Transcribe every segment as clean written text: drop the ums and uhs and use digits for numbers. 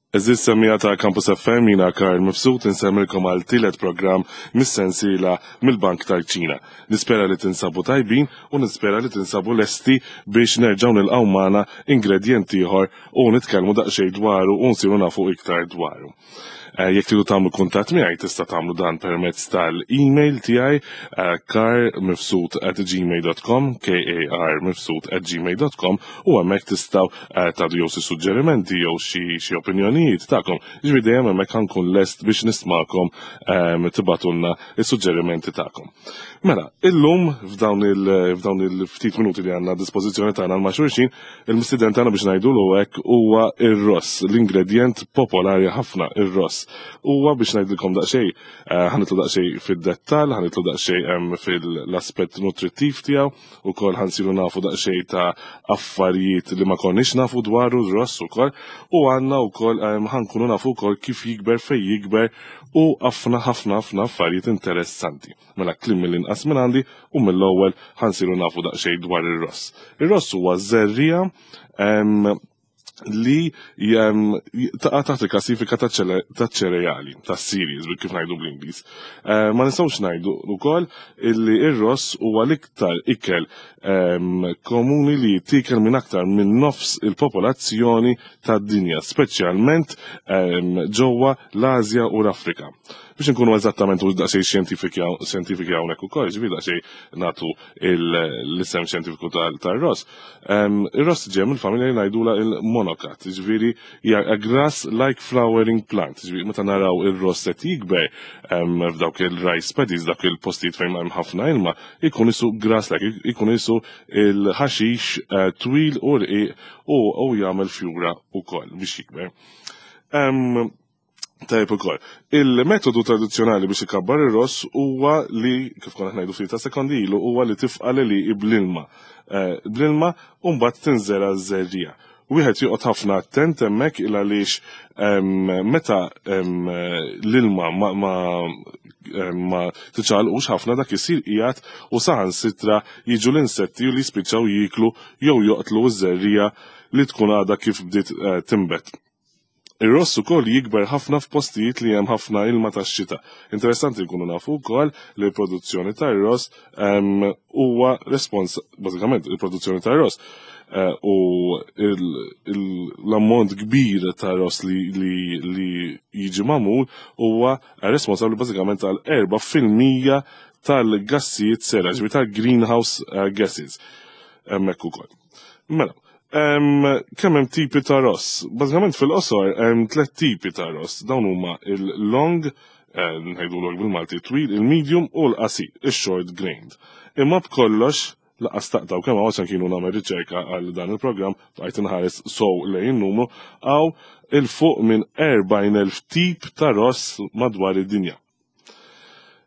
Għeżież semmiegħa ta' Campus FM jiena Karl Mifsud insemmilkom għal tielet programm mis-sensiela mill-Bank tal-Kċina. Nispera li tinsabu tajbin u nispera li tinsabu lesti biex nerġgħu nilqgħu magħna ingredjent ieħor u nitkellmu daqsxejn dwaru u nsiru nafu iktar dwaru. Eh, jekk tridu tagħmlu kuntatt miegħi tista' tagħmlu dan permezz tal-email tiegħi eh, karmifsud@gmail.com k a r mifsud@gmail.com u hemmhekk tistgħu eh, tagħdu jew xi suġġerimenti jew xi opinjonijiet tagħkom. Ġifieri dejjem hemmhekk ħankun lest biex nismakom ehm, tibatulna is-suġġerimenti tagħkom. Mela, illum f'dawn il-ftit minuti li għandna dispożizzjoni tagħna ma' xulxin, il-mistieden tagħna biex ngħidulu hekk huwa ir-ross, l-ingredjent popolari ħafna, ir-ross. Huwa biex ngħidilkom daqsxejn, eh, ħanitlu daqsxejn fid-dettall, ħanitlu daqsxejn fil-aspett nutrittiv tiegħu, ukoll ħansiru nafu daqsxejn ta' affarijiet li ma konniex nafu dwaru r-ross ukoll, u għandna wkoll ħankunu nafu wkoll kif jikber fejn jikber u ħafna ħafna ħafna affarijiet interessanti. Mela kliem mill-inqas minn għandi u mill-ewwel ħansiru nafu daqsxejn dwar ir-ross. Ir-ross huwa żerriegħa li taqa' taħt il-klassifika ta' ċereali, ta' cereals, kif ngħidu bl-Ingliż. Eh, ma nistgħux ngħidu wkoll illi ir-ross huwa l-iktar ikel komuni li jittikel minn aktar minn nofs il-popolazzjoni tad-dinja, speċjalment ġewwa l-Asja u l-Afrika. Biex nkunu eżattament u daqsxejn xjentifiki hawnhekk ukoll, ġifieri daqsxejn nagħtu l-isem xjentifiku tar-ross. Ir-ross ġej mill-familja li ngħidula il-monokat, ġifieri hija a grass like flowering plant, ġifieri meta naraw ir-ross qed jikber f'dawk il-rice paddies, dak il-postijiet fejn hemm ħafna ilma, ikun isu grass like, ikun isu il-ħaxix eh, twil u rqiq u jagħmel fjura wkoll biex jikber. Tajjeb ukoll. Il-metodu tradizzjonali biex ikabbar ir-ross huwa li, kif konna ngħidu ftit ta' sekondi ilu, huwa li tifqa' l-għelieqi bl-ilma. Eh, bl-ilma u mbagħad tinżera ż-żerriegħa. Wieħed joqgħod ħafna attent hemmhekk il għaliex meta l-ilma ma, ma, ma tiċċaqalqux ħafna dak isir qiegħed u saħansitra jiġu l-insetti li jispiċċaw jieklu jew joqtlu ż-żerriegħa li tkun għadha kif bdiet eh, tinbet. Ir-ross ukoll jikber ħafna f'postijiet li hemm ħafna ilma tax-xita. Interessanti nkunu nafu wkoll li l-produzzjoni tar-ross ehm, huwa respons bażikament il-produzzjoni tar-ross eh, u l-ammont kbir ta' ross li, li, jiġi magħmul huwa responsabbli bażikament għal 4% tal-gassijiet sera, ġifieri tal-greenhouse eh, gases. Hemmhekk ukoll. Mela, kemm hemm tipi ta' ross? Bażikament fil-qosor hemm tliet tipi ta' ross. Dawn huma il-long, eh, ngħidulok bil-Malti twil, il-medium u l-qasir, il-short grained. Imma b'kollox laqas taqtaw kemm hawn kienu nagħmel riċerka għal dan il-programm bqajt inħares sow lejn numru għaw il-fuq minn 40,000 tip ta' ross madwar id-dinja.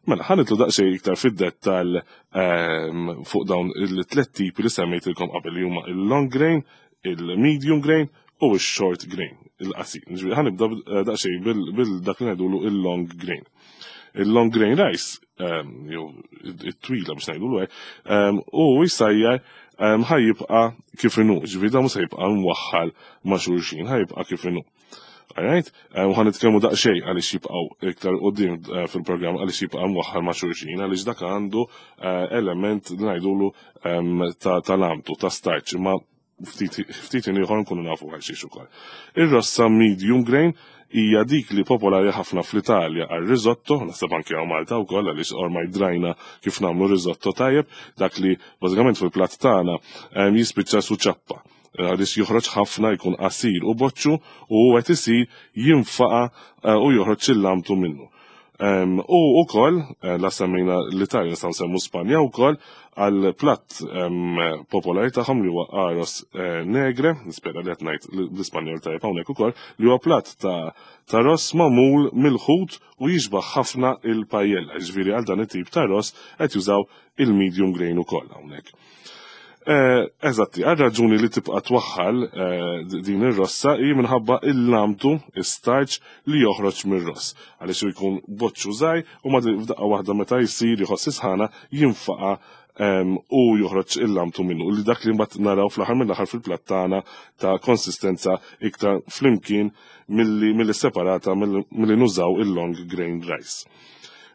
Mela, ħa nidħlu daqsxejn iktar fid-dettall ehm, fuq dawn il-tlet tipi li semmejtilkom qabel li huma il-long grain, il-medium grain u il-short grain, il-qasir. Ġifieri ħa nibda eh, daqsxejn bil-dak li ngħidulu il-long grain. Il-long grain rice, ehm, jew it-twila biex ngħidulu hekk, ehm, u jsajjar ħa jibqa' kif inhu, ġifieri dan mhux se jibqa' mwaħħal ma' xulxin, ħa jibqa' kif inhu. Alright? Eh, u ħan nitkellmu daqsxejn għaliex jibqgħu iktar qudiem eh, fil-programm għaliex jibqa' mwaħħal ma' xulxin għaliex dak għandu eh, element li ngħidulu ehm, ta' lamtu, ta' starch, imma ftit ieħor nkunu nafu għal xiex ukoll. Ir-rossa medium grain hija dik li popolari ħafna fl-Italja għal risotto, naħseb anke hawn Malta wkoll għaliex ormai drajna kif nagħmlu risotto tajjeb, dak li bażikament fil-platt tagħna ehm, jispiċċa su ċappa għaliex joħroġ ħafna jkun qasir u boċċu u qed isir jinfaqa eh, u joħroġ il-lamtu minnu. U ukoll, eh, la semmejna l-Italja nistgħu nsemmu Spanja wkoll għal platt popolari tagħhom li huwa arroz eh, negre, nispera li qed ngħid l-Ispanjol tajjeb hawnhekk ukoll, li huwa platt ta' ta' ross magħmul mill-ħut u jixbaħ ħafna il-pajella, ġifieri għal dan it-tip ta' ross qed jużaw il-medium grain ukoll hawnhekk. Eh, eżatti, għal raġuni li tibqa' twaħħal eh, din ir-rossa hi minħabba il-lamtu, is-starch li joħroġ mir-ross. Għaliex jkun boċċu żgħir u ma f'daqqa waħda meta jsir jħoss isħana jinfaqa' U joħroġ il-lamtu minnu li dak li mbagħad naraw fl-aħħar mill-aħħar fil-platt tagħna ta' konsistenza iktar flimkien milli separata milli nużaw il-long grain rice.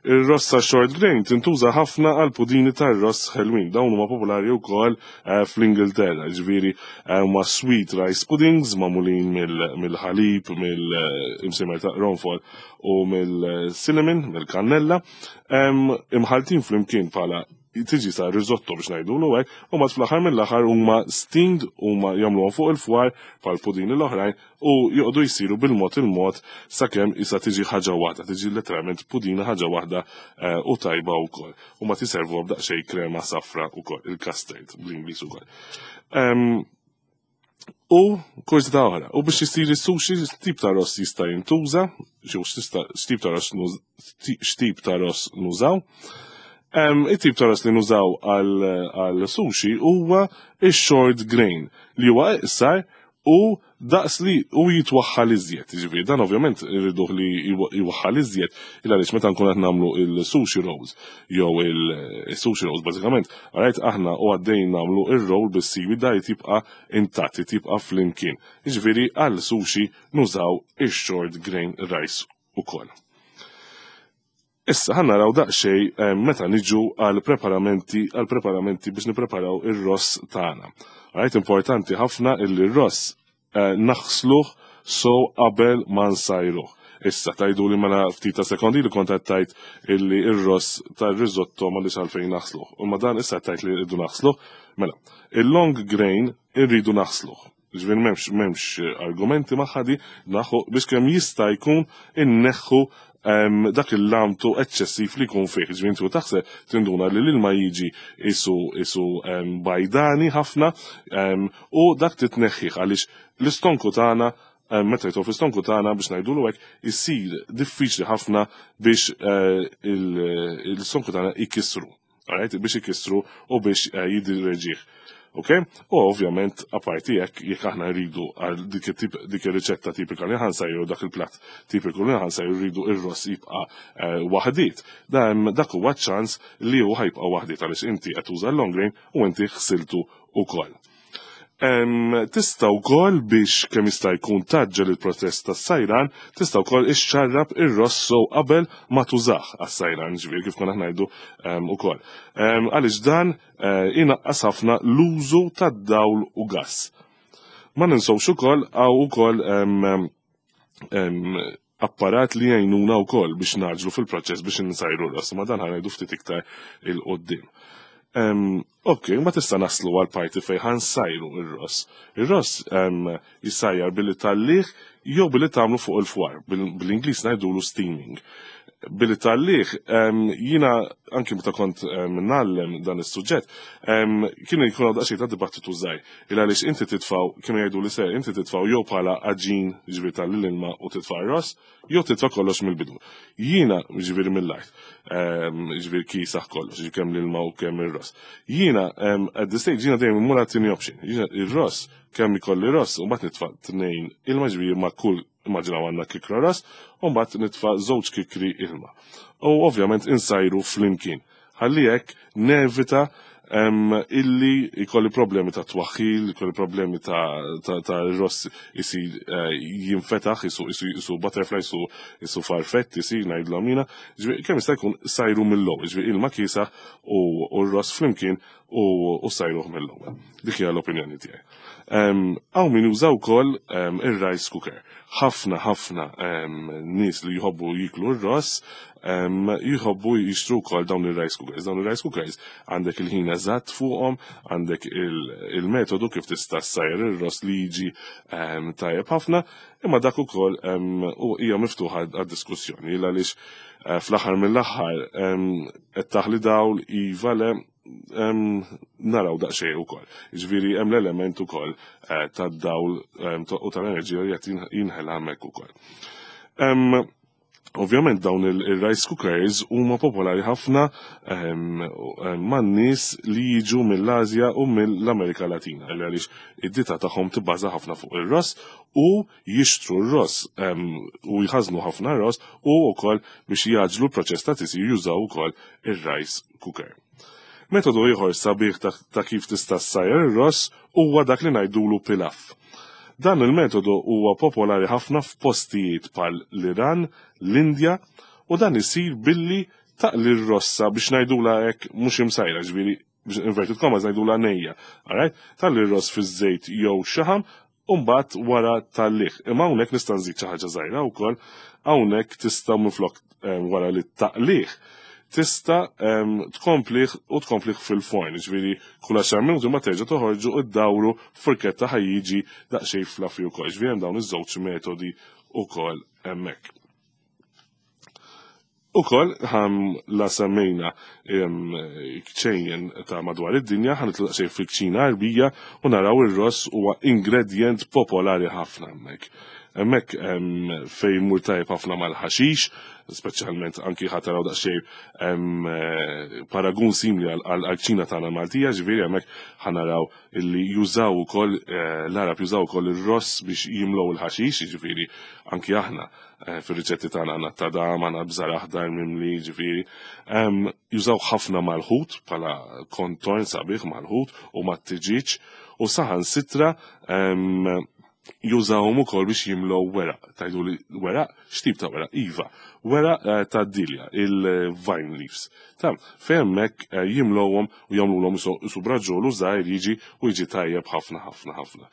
Ir-rossa short grain tintuża ħafna għal pudini tar-ross ħelwin. Dawn huma popolari wkoll fl-Ingilterra, ġifieri huma sweet rice puddings magħmulin mill-ħalib, mill-imsimer ta' qronfol u mill-cinnamon, mill-kannella, imħaltin flimkien bħala tiġi sa risotto biex ngħidulu hekk, u mat fl-aħħar mill-aħħar huma steamed, huma jagħmluhom fuq il-fwar bħal pudini l-oħrajn u joqogħdu jsiru bil-mod il-mod sakemm issa tiġi ħaġa waħda, tiġi letteralment pudina ħaġa waħda u tajba wkoll. U ma tiservu b'daqsxejn krema safra wkoll, il-custard bl-Ingliż ukoll. U kurżità oħra, u biex isir is-sushi tip ta' ross jista' jintuża, jew x'tip ta' ross nużaw. It-tip ta' ross li nużaw għal sushi huwa ix-short grain li huwa iqsar u daqs li u jitwaħħal iżjed. Ġifieri dan ovvjament irriduh li jwaħħal iżjed il għaliex meta nkun qed nagħmlu il-sushi rolls jew il-sushi rolls bażikament, alright, aħna u għaddejn nagħmlu ir-roll bis-seaweed da jibqa' intatt, jibqa' flimkien. Ġifieri għal sushi nużaw ix-short grain rice ukoll. Issa ħa naraw daqsxejn meta niġu għal preparamenti biex nippreparaw ir-ross tagħna. Right, importanti ħafna illi r-ross naħsluh so qabel ma nsajruh. Issa tajdu li mela ftit ta' sekondi li kont tajt illi ir-ross tar-risotto ma li għalfejn naħsluh. U ma dan issa tajt li rridu naħsluh. Mela, il-long grain irridu naħsluh. Ġifieri m'hemmx argumenti maħadi naħu biex kemm jista' jkun inneħħu dak il-lamtu eċċessiv li jkun fih. Ġifieri inti taħseb tinduna li l-ilma jiġi isu bajdani ħafna u dak titneħħih għaliex l-istonku tagħna, meta jitgħu fl-istonku tagħna, biex ngħidulu hekk, isir diffiċli ħafna biex l-istonku tagħna ikissru. Alright? Biex ikissru u biex jiddiġerih. Ok? U ovvjament, aparti jekk, jekk aħna rridu għal dik ir-riċetta tipika li ħa nsajru, dak il-platt tipiku li ħa nsajru, rridu ir-ross jibqa' waħdiet. Dan dak huwa ċans li hu ħa jibqa' waħdiet għaliex inti qed tuża l-long grain u inti ħsiltu ukoll. Tista' wkoll biex kemm jista' jkun tgħaġġel il-proċess tas-sajran, tista' wkoll ixxarrab ir-ross so qabel ma tużah għas-sajran, ġifieri kif konna ngħidu ukoll. Għaliex dan inaqqas ħafna l-użu tad-dawl u gas. Ma ninsewx ukoll hawn ukoll apparat li jgħinuna wkoll biex ngħaġġlu fil-proċess biex insajru r-ross, ma dan ħa ngħidu ftit iktar 'il quddiem. Ok, ma tista' naslu għal parti fejn ħa nsajru ir-ross. Ir-ross jissajjar billi tgħallih jew billi tagħmlu fuq il-fwar, bil-Ingliż ngħidulu steaming. Billi tgħallih, jiena anki meta kont ngħallem dan is-suġġett, kienu jkunu daqsxejn ta' dibattitu żgħir. Il għaliex inti titfgħu, kienu jgħidu li se inti titfgħu jew bħala għaġin, ġifieri tgħalli l-ilma u titfa' r-ross, jew titfa' kollox mill-bidu. Jiena, ġifieri mill-art, ġifieri kisaħ kollox, ġifieri kemm l-ilma u kemm ir-ross. Jiena, at this stage, jiena dejjem immur għat-tieni option. Jiena ir-ross, kemm ikolli ross, u mbagħad nitfa' tnejn ilma, ġifieri ma' kull, immaġinaw għandna kikra ross, u mbagħad nitfa' żewġ kikri ilma. U ovvjament insajru flimkien. Ħalli hekk nevita illi jkolli problemi ta' twaħħil, jkolli problemi ta' ross isir jinfetaħ, isu butterfly, isu farfett, isir ngħidlu għamina. Ġifieri, kemm jista' jkun sajru mill-ewwel, ġifieri ilma kiesaħ u r-ross flimkien u sajruh mill-ewwel. Dik hija l-opinjoni tiegħi. Hawn min jużaw ukoll ir-rice cooker. Ħafna ħafna nies li jħobbu jiklu r-ross jħobbu jixtru wkoll dawn ir-rice cookers. Dawn ir-rice cookers għandek il-ħin eżatt fuqhom, għandek il-metodu kif tista' ssajjar ir-ross li jiġi tajjeb ħafna, imma dak ukoll u hija miftuħa għad-diskussjoni għaliex fl-aħħar mill-aħħar qed taħli dawl iva le naraw daqsxejn ukoll. Ġifieri hemm l-element ukoll tad-dawl u tal-enerġija li qed jinħela hemmhekk ukoll. Ovvjament dawn il-rice cookers huma popolari ħafna man-nies li jiġu mill-Asja u mill-Amerika Latina, li għaliex id-dieta tagħhom tibbaża ħafna fuq ir-ross u jixtru r-ross u jħażnu ħafna ross u wkoll biex jgħaġġlu l-proċess ta' tisjir jużaw ukoll ir-rice cooker. Metodu ieħor sabiħ ta' kif tista' ssajjar ir-ross huwa dak li ngħidulu pilaf. Dan il-metodu huwa popolari ħafna f'postijiet bħal l-Iran, l-Indja u dan isir billi taqli r-rossa biex ngħidulha hekk mhux imsajra, ġifieri biex inverted commas ngħidulha nejja. Alright? Taqli r-ross fiż-żejt jew xaħam u mbagħad wara tgħallih. Imma hawnhekk nista' nżid xi ħaġa żgħira wkoll, hawnhekk tista' minflok eh, wara li taqlih tista' ehm, tkomplih u tkomplih fil-forn, ġifieri kull 10 minuti ma terġa' toħorġu u ddawru furketta ħa jiġi daqsxejn fluffy ukoll. Ġifieri hemm dawn iż-żewġ metodi ukoll hemmhekk. Ukoll ħam la semmejna kċejjen ta' madwar id-dinja, ħa nitlaq xejn fil-kċina Għarbija u naraw ir-ross huwa ingredjent popolari ħafna hemmhekk. Hemmhekk fejn jmur tajjeb ħafna mal-ħaxix, speċjalment anki ħa taraw daqsxejn paragun simili għall-kċina tagħna Maltija, ġifieri hemmhekk ħa naraw illi jużaw ukoll l-Għarab jużaw ukoll ir-ross biex jimlew il-ħaxix, jiġifieri anki aħna Eh, fir-riċetti tagħna għandna tadam, għandna bżar aħdar mimli, ġifieri. Jużaw ħafna mal-ħut bħala kontorn sabiħ mal-ħut u mat-tiġiġ u saħan sitra jużawhom ukoll biex jimlew weraq. Tajdu li weraq, x'tip ta' weraq? Iva, weraq eh, ta' dilja, il-vine leaves. Ta' fejn hemmhekk eh, jimlowhom u jagħmluhom isu braġolu żgħir jiġi u jiġi tajjeb ħafna ħafna ħafna.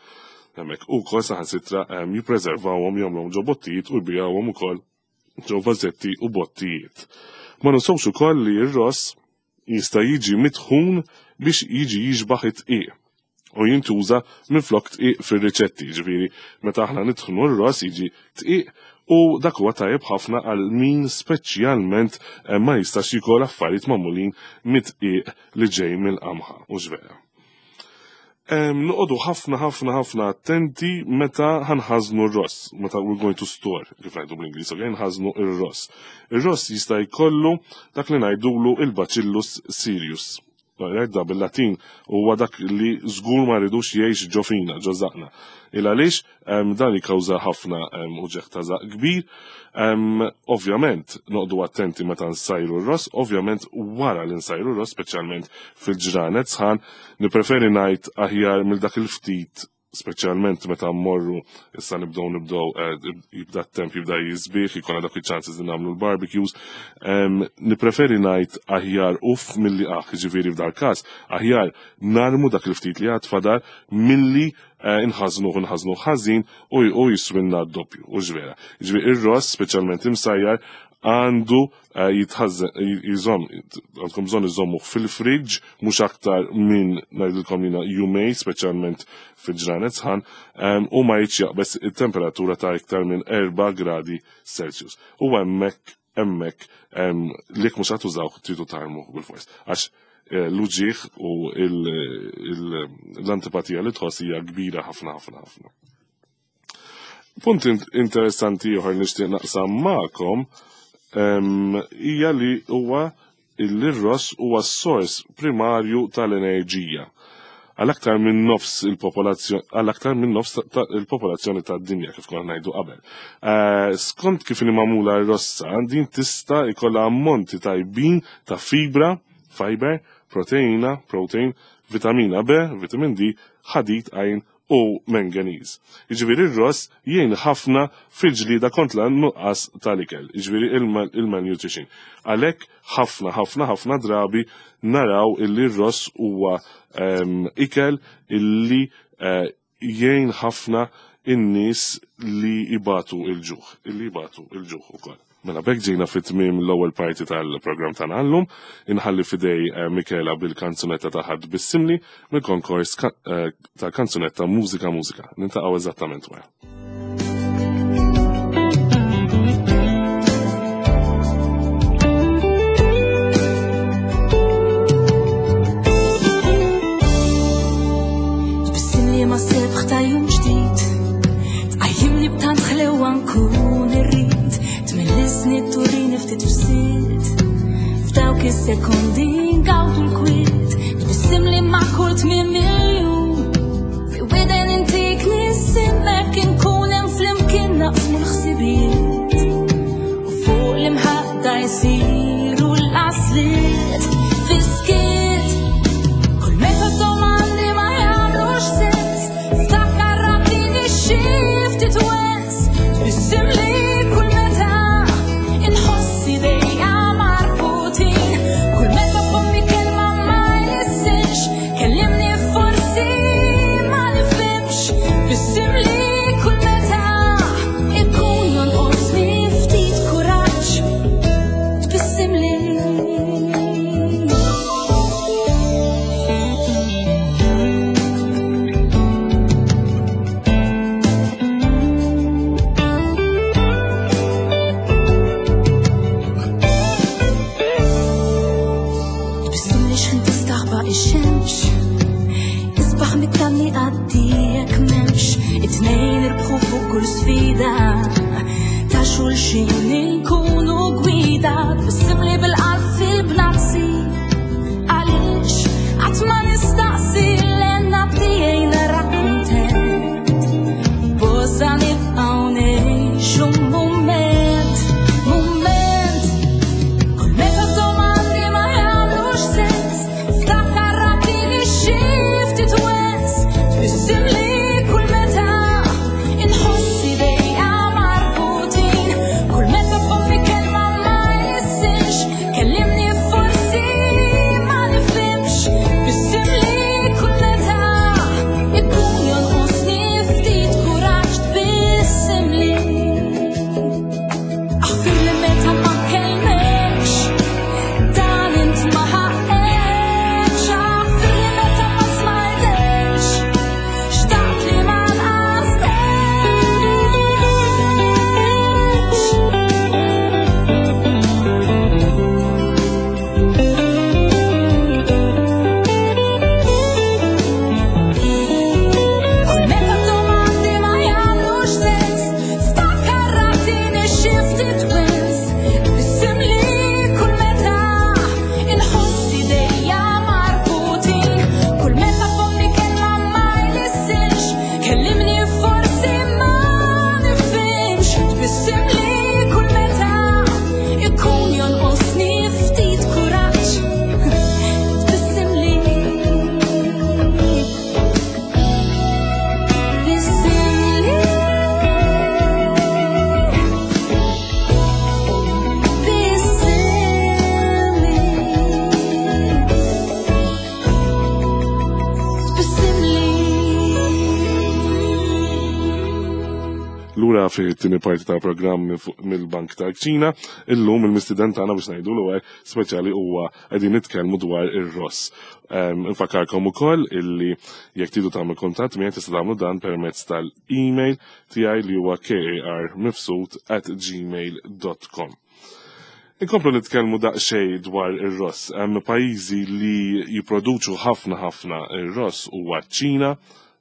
Hemmhekk ukoll saħansitra jippreservawhom jagħmluhom ġo bottijiet u jbigħuhom ukoll ġo vażetti u bottijiet. Ma ninsewx ukoll li r-ross jista' jiġi mitħun biex jiġi jixbaħ it-tqiq u jintuża minflok tqiq fir-riċetti, ġifieri meta aħna nitħnu r-ross jiġi tqiq u dak huwa tajjeb ħafna għal min speċjalment eh, ma jistax jikol affarijiet magħmulin mit-tqiq li ġej mill-qamħa u vera. Noqogħdu ħafna ħafna ħafna attenti meta ħa nħażnu r-ross, meta we're going to store, kif ngħidu bl-Ingliż, okay, nħażnu r-ross. Ir-ross jista' jkollu dak li ngħidulu il-Bacillus cereus. Da bil-Latin huwa dak li żgur ma rridux jgħix ġo fina, ġo żaqna. Il għaliex dan jikkawża ħafna uġigħ ta' żaq kbir. Ovvjament, noqogħdu attenti meta nsajru r-ross, ovvjament wara li nsajru r-ross, speċjalment fil-ġranet sħan, nippreferi ngħid aħjar mill dak il-ftit speċjalment meta mmorru issa nibdew nibdew eh, jibda t-temp jibda jisbieħ, jkollna dak il-chances li nagħmlu l-barbecues. Nippreferi ngħid aħjar uff milli aħ, ġifieri f'dal każ, aħjar narmu dak il-ftit li għad fadal milli eh, nħażnuh nħażnuh ħażin u jiswinna d-doppju, u ġvera. Ġifieri ir-ross, speċjalment imsajjar, għandu eh, jitħażen jżomm għandkom bżonn iżommu fil-fridge mhux aktar minn ngħidilkom jiena jumej speċjalment fil-ġranet sħan u ma jitx jaqbeż it-temperatura ta' iktar minn 4 gradi Celsius. U hemmhekk hemmhekk li mhux ħa tużaw tridu tarmu bil-fors. Għax eh, l-uġigħ u l-antipatija li tħoss hija kbira ħafna ħafna ħafna. Punt interessanti ieħor nixtieq naqsam magħkom hija li huwa il-ross huwa s-sors primarju tal-enerġija għal aktar minn nofs il-popolazzjoni għal aktar minn nofs il-popolazzjoni tad-dinja kif konna ngħidu qabel. Eh, skont kif inhi magħmula r-rossa, din tista' jkollha ammonti tajbin ta' fibra, fiber, proteina, protein, vitamina B, vitamin D, ħadid, iron u manganese. Jiġifieri r-ross jgħin ħafna fil-ġlieda kontra n-nuqqas tal-ikel, jiġifieri il-malnutrition. Għalhekk ħafna ħafna ħafna drabi naraw illi r-ross huwa ehm, ikel illi eh, jgħin ħafna in-nies li ibatu il-ġuħ, illi ibatu il-ġuħ ukoll. Mela b'hekk ġejna fit-tmiem l-ewwel parti tal-programm tagħna llum, inħalli f'idej eh, Michela bil-kanzunetta ta' ħadd bissimli mill-konkors eh, tal-kanzunetta Mużika Mużika. Niltaqgħu eżattament wara. Tbissimli ma sebħ ta' jum ġdid Tqajjimni b'tant ħlewa nkun irrid Tmellisni turini ftit fsit F'dawk is-sekondi ngawdu l-kwiet Tbissimli ma' kull tmiem miljun Fi widen intik nisimmek inkun hemm flimkien naqsmu l-ħsibijiet U fuq l-imħadda jsiru l-qasliet Fiskiet. ftit wens, tbissimli kull meta inħoss idejja marbutin, kull meta fommi kelma ma jlissinx, kellimni forsi ma nifhimx, tbissimli kull meta ikun jonqosni ftit kuraġġ, tbissimli. Tbissimli xħin tistaħba ix-xemx, isbaħ mit-tamni għaddijek memx, it-tnejn irbħu fuq kull sfida, ta' xulxin inkunu gwida, tbissimli bil-qalb fil-bnazzi, għaliex qatt ma nistaqsi l-enna tiegħi nara kuntent. Boża nibqgħu ngħixu mument, mument. Kull meta domandi ma jagħmlux sens, ftakar ratini xi ftit wens, tbissimli kull meta inħoss idejja marbutin, kull meta fommi kelma ma jlissinx, kellimni forsi ma nifhimx, tbissimli kull meta ikun jonqosni ftit kuraġġ, tbissimli. Aħfir li meta ma kellmekx, dan int ma ħaqekx. Aħfir li meta ma smajtekx, xtaqt li ma nqastekx. Kull meta domandi ma jagħmlux sens, ftakar ratini xi ftit wens, tbissimli kull meta inħoss idejja marbutin, kull meta fommi kelma ma jlissinx, kellimni forsi ma nifhimx, tbissimli kull meta ikun jonqosni ftit kuraġġ, tbissimli. Tbissimli. Tbissimli. Tbissimli. Lura fi t-tieni parti tal-programm mill-Bank tal-Kċina, illum il-mistiden tagħna biex ngħidu l speċjali huwa qegħdin nitkellmu dwar ir-ross. Infakarkom ukoll illi jekk tridu tagħmlu kuntatt miegħi tista' tagħmlu dan permezz tal-email tiegħi li huwa karmifsud@gmail.com. Inkomplu nitkellmu daqsxejn dwar ir-ross. Hemm pajjiżi li jipproduċu ħafna ħafna ir-ross huwa ċ-Ċina,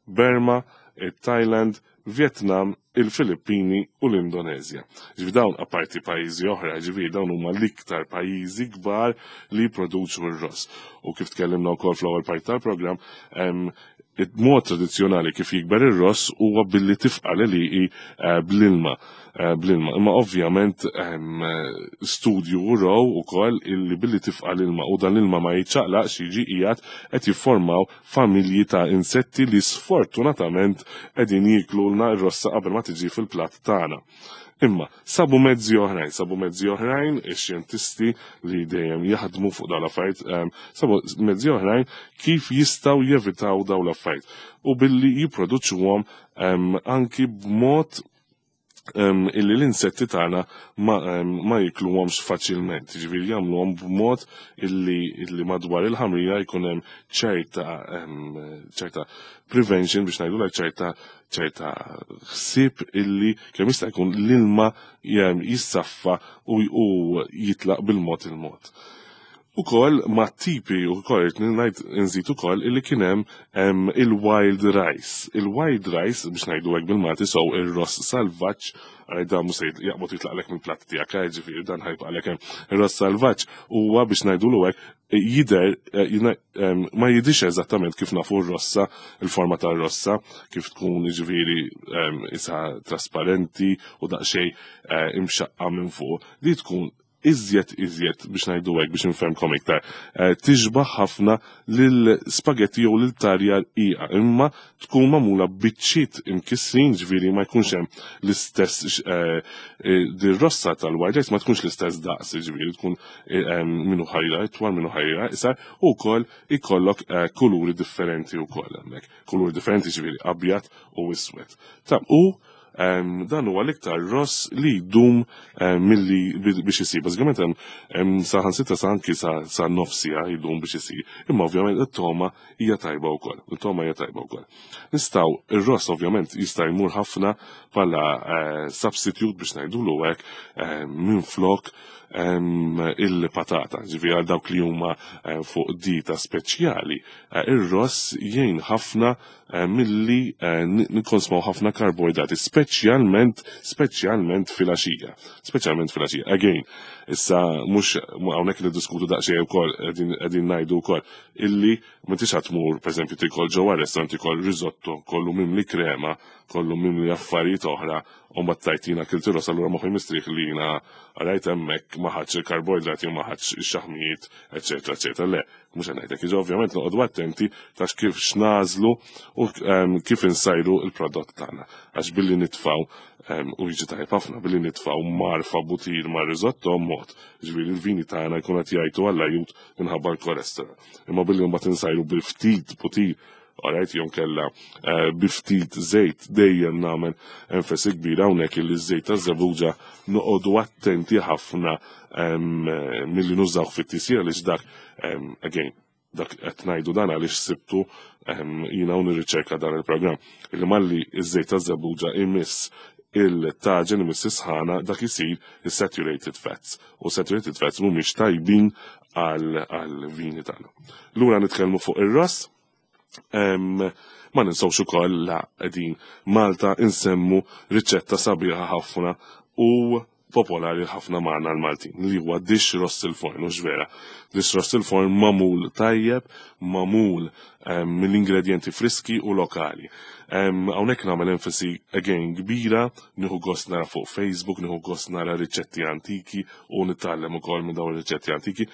Burma, it-Thailand, Vietnam, il-Filippini u l-Indonezja. Ġifieri dawn apparti pajjiżi oħra, ġifieri dawn huma l-iktar pajjiżi kbar li jipproduċu r-ross. U kif tkellimna wkoll fl-ewwel parti tal-programm, il-mod tradizzjonali kif jikber ir-ross huwa billi tifqa' l-għelieqi bl-ilma. Imma ovvjament studju uraw ukoll illi billi tifqa' l-ilma u dan l-ilma ma jiċċaqlaqx jiġi qiegħed qed jiffurmaw familji ta' insetti li sfortunatament qegħdin jiklulna r-rossa qabel ma tiġi fil-platt tagħna. Imma sabu mezzi oħrajn, sabu mezzi oħrajn ix-xjentisti li dejjem jaħdmu fuq dawn l-affarijiet, sabu mezzi oħrajn kif jistgħu jevitaw dawn l-affarijiet u billi jipproduċuhom anki b'mod illi l-insetti tagħna ma jikluhomx faċilment, jiġifieri jagħmluhom b'mod illi madwar il-ħamrija jkun hemm ċerta prevention biex ngħidu ċerta ħsieb illi kemm jista' jkun l-ilma jissaffa u jitlaq bil-mod il-mod. Ukoll ma' tipi ukoll irrid ngħid nżid ukoll illi kien hemm il-wild rice. Il-wild rice biex ngħidu hekk bil-Malti sew ir-ross salvaġġ, għaj dan mhux se jaqbad jitlaqlek mill-platt tiegħek, ġifieri dan ħajbqalek hemm. Ir-ross salvaġġ huwa biex ngħidulu hekk jidher ma jidhirx eżattament kif nafu r-rossa, il-forma tar-rossa, kif tkun jiġifieri isa trasparenti u daqsxejn imxaqqa minn fuq. Li tkun iżjed iżjed biex ngħidu hekk biex nfehmkom iktar. Eh, tixbaħ ħafna lil spagetti jew lil tarja rqiqa, imma tkun magħmula biċċiet imkissrin, ġifieri ma jkunx hemm l-istess eh, eh, dir-rossa tal-white rice ma tkunx l-istess daqs, ġifieri tkun minnu ħajra itwal, minnu ħajra iqsar, u wkoll ikollok kuluri differenti wkoll hemmhekk. Kuluri differenti ġifieri abjad u iswed. Ta' u Dan huwa l-iktar ross li jdum milli biex isir. Bażikament hemm saħansitra sa anki sa nofsija jdum biex isir. Imma ovvjament it-toma hija tajba wkoll. Il-toma hija tajba wkoll. Nistgħu ir-ross ovvjament jista' jmur ħafna bħala eh, substitute biex ngħidulu hekk eh, minflok il-patata, ġifieri għal dawk li huma eh, fuq dieta speċjali. Ir-ross jgħin ħafna Eh, milli eh, nikkonsmaw ħafna karboidrati, speċjalment speċjalment filgħaxija. Speċjalment filgħaxija. Again, issa mhux hawnhekk niddiskutu daqsxejn ukoll qegħdin ngħidu wkoll illi m'intix qed tmur pereżempju tikol ġewwa restaurant tikol risotto kollu mimli krema, kollu mimli affarijiet oħra u ma tajtina kilt ross allura moħħi mistrieħ li jiena rajt hemmhekk ma ħadx il-karboidrati u ma ħadx ix-xaħmijiet, eċetera, eċetera. Le, Mhux qed ngħidlek, iġa ovvjament noqogħdu attenti ta' kif x'nażlu u ehm, kif insajru l-prodott tagħna. Għax billi nitfgħu ehm, u jiġi tajjeb ħafna billi nitfgħu marfa butir ma' risotto mod, ġifieri l-vini tagħna jkun qed jgħidu għall ajut minħabba l-kolesterol. Imma billi mbagħad insajru bil ftit butir Alright, jom kella eh, bi ftit żejt dejjem nagħmel enfasi kbira hawnhekk illi ż-żejt taż-żebbuġa noqogħdu attenti ħafna ehm, milli nużaw fit-tisjir għaliex dak ehm, again dak qed ngħidu dan għaliex sibtu ehm, jiena u nirriċerka dan il-programm. Illi malli iż-żejt taż-żebbuġa imiss il-taġen imiss is-sħana dak isir is-saturated fats. U saturated fats mhumiex tajbin għal vini tagħna. Lura nitkellmu fuq ir-ross. Ma ninsawx ukoll la qegħdin Malta insemmu riċetta sabiħa ħafna u popolari ħafna magħna l-Maltin li huwa dish rost il-forn, u vera. Dish rost il-forn mamul tajjeb, mamul mill-ingredienti friski u lokali. Hawnhekk nagħmel enfasi again kbira, nieħu gost nara fuq Facebook, nieħu gost nara riċetti antiki u nitgħallem ukoll minn dawn ir-riċetti antiki.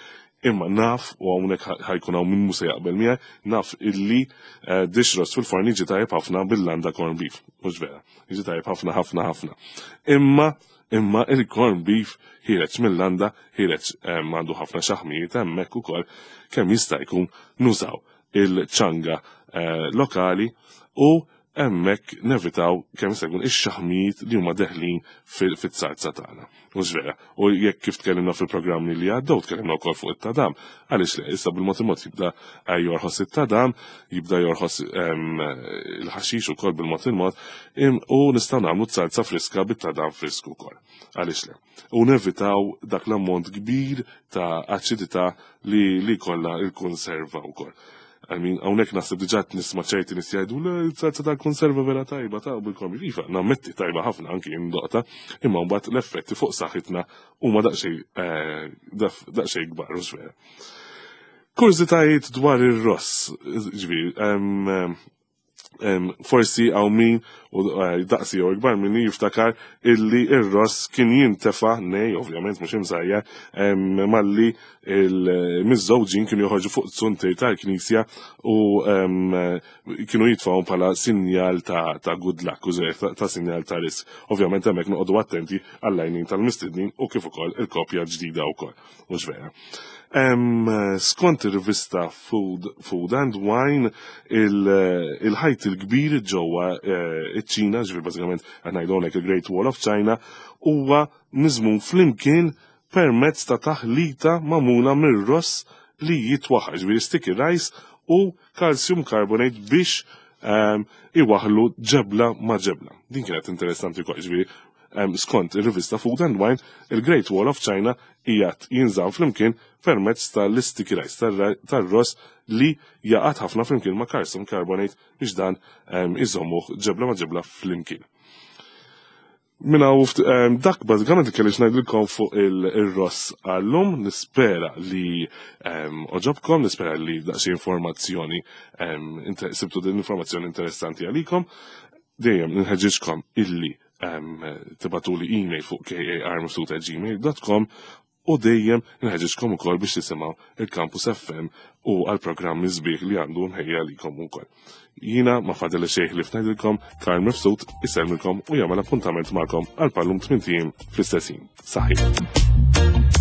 Imma naf, u hawnhekk ħajkun hawn min mhu se jaqbel miegħi, naf illi eh, dish roast fil-forn jiġi tajjeb ħafna bil-landa corn beef. Mhux vera. Jiġi tajjeb ħafna ħafna ħafna. Imma imma il-corn beef ħireġ mill-landa, ħireġ eh, għandu ħafna xaħmijiet hemmhekk ukoll kemm jista' jkun nużaw il-ċanga eh, lokali u hemmhekk nevitaw kemm jista' jkun ix-xaħmijiet li huma deħlin fit-sarza tagħna. Mhux vera. U jekk kif tkellimna fil-programmi li għaddew, tkellimna wkoll fuq it-tadam, għaliex le, issa bil-mod il-mod jibda eh, jorħos it-tadam, jibda jorħos ehm, il-ħaxix ukoll bil-mod il-mod, u nistgħu nagħmlu salza friska bit-tadam frisku wkoll. Għaliex le. U nevitaw dak l-ammont kbir ta' aċidità li li kollha il-konserva wkoll. I mean, hawnhekk naħseb diġà qed nisma' ċerti nies jgħidu le salza tal-konserva vera tajba ta' bil-komi. Iva, nammetti tajba ħafna anki indoqta, imma mbagħad l-effetti fuq saħħitna huma daqsxejn eh, daqsxejn kbar u vera. Kurżitajiet dwar ir-ross, ġifieri, forsi għaw min u eh, daqsi jew ikbar minni jiftakar illi ir-ross kien jintefa' nej, ovvjament mhux imsajja, malli il-miżżewġin kienu joħorġu fuq zuntir tal-knisja u kienu jitfgħu bħala sinjal ta' good luck, u ta' sinjal ta' risk. Ovvjament hemmhekk noqogħdu attenti għall-għajnin tal-mistednin u kif ukoll il-kopja ġdida wkoll. Mhux vera. Skont ir-rivista Food, Food and Wine, il-ħajt il-kbir ġewwa eh, iċ-Ċina, ġifier bażikament qed ngħidu hawnhekk il-Great Wall of China, huwa miżmum flimkien permezz ta' taħlita magħmula mir-ross li jitwaħħal, ġifieri sticky rice u calcium carbonate biex iwaħlu ġebla ma' ġebla. Din kienet interessanti wkoll, ġifieri skont ir-rivista Food and Wine, il-Great Wall of China qiegħed jinżamm flimkien permezz tal-sticky rice tar-ross li jaqgħad ħafna flimkien ma' calcium carbonate biex dan iżommuh ġebla ma' ġebla flimkien. Minna u dak bażikament li kellix ngħidilkom fuq il-ross għallum, nispera li oġobkom, nispera li daqsxejn informazzjoni sibtu din informazzjoni interessanti għalikom. Dejjem nħeġġiġkom illi tibatuli email fuq karmifsud@gmail.com. U dejjem nħeġġiġkom ukoll biex tisimgħu il-Campus FM u għal programmi sbieħ li għandu mħejja likom ukoll. Jiena ma fadel xejn li fnajdilkom Karl Mifsud isellmilkom u jagħmel appuntament magħkom għal pallum tmint ijiem fl-istess ħin. Saħħi.